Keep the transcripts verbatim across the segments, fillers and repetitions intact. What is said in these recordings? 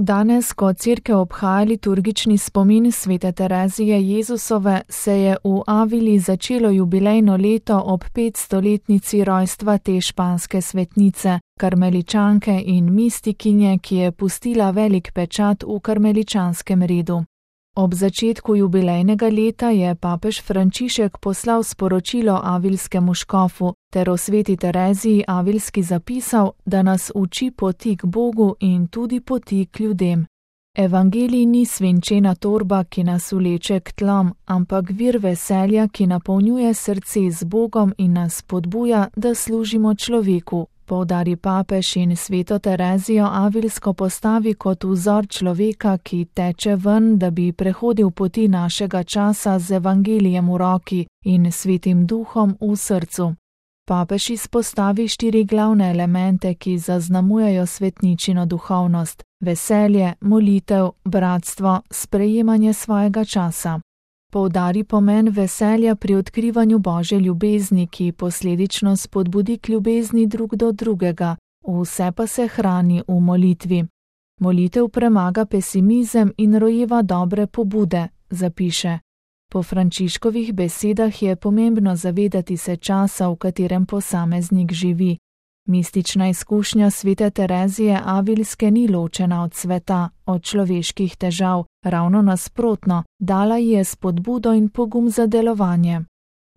Danes, ko cerkev obhaja liturgični spomin svete Terezije Jezusove, se je v Avili začelo jubilejno leto ob petstoletnici rojstva te španske svetnice, karmeličanke in mistikinje, ki je pustila velik pečat v karmeličanskem redu. Ob začetku jubilejnega leta je papež Frančišek poslal sporočilo avilskemu škofu ter o sveti Tereziji Avilski zapisal, da nas uči poti k Bogu in tudi poti k ljudem. Evangelij ni svinčena torba, ki nas vleče k tlom, ampak vir veselja, ki napolnjuje srce z Bogom in nas spodbuja, da služimo človeku, poudari papež in sveto Terezijo Avilsko postavi kot vzor človeka, ki teče ven, da bi prehodil poti našega časa z evangelijem v roki in svetim duhom v srcu. Papež izpostavi štiri glavne elemente, ki zaznamujejo svetničino duhovnost: veselje, molitev, bratstvo, sprejemanje svojega časa. Poudari pomen veselja pri odkrivanju Božje ljubezni, ki posledično spodbudi k ljubezni drug do drugega, vse pa se hrani v molitvi. Molitev premaga pesimizem in rojeva dobre pobude, zapiše. Po Frančiškovih besedah je pomembno zavedati se časa, v katerem posameznik živi. Mistična izkušnja svete Terezije Avilske ni ločena od sveta, od človeških težav, ravno nasprotno, dala ji je spodbudo in pogum za delovanje.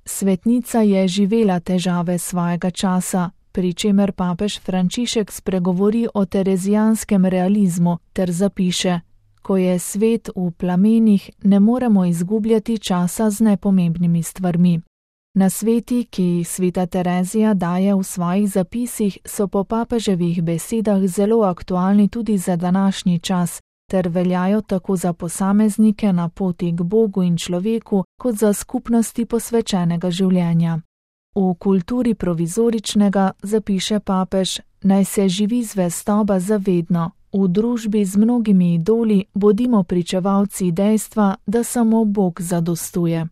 Svetnica je živela težave svojega časa, pri čemer papež Frančišek spregovori o terezijanskem realizmu ter zapiše: ko je svet v plamenih, ne moremo izgubljati časa z nepomembnimi stvarmi. Nasveti, ki jih sveta Terezija daje v svojih zapisih, so po papeževih besedah zelo aktualni tudi za današnji čas, ter veljajo tako za posameznike na poti k Bogu in človeku, kot za skupnosti posvečenega življenja. V kulturi provizoričnega, zapiše papež, naj se živi zvestoba zavedno, v družbi z mnogimi idoli bodimo pričevalci dejstva, da samo Bog zadostuje.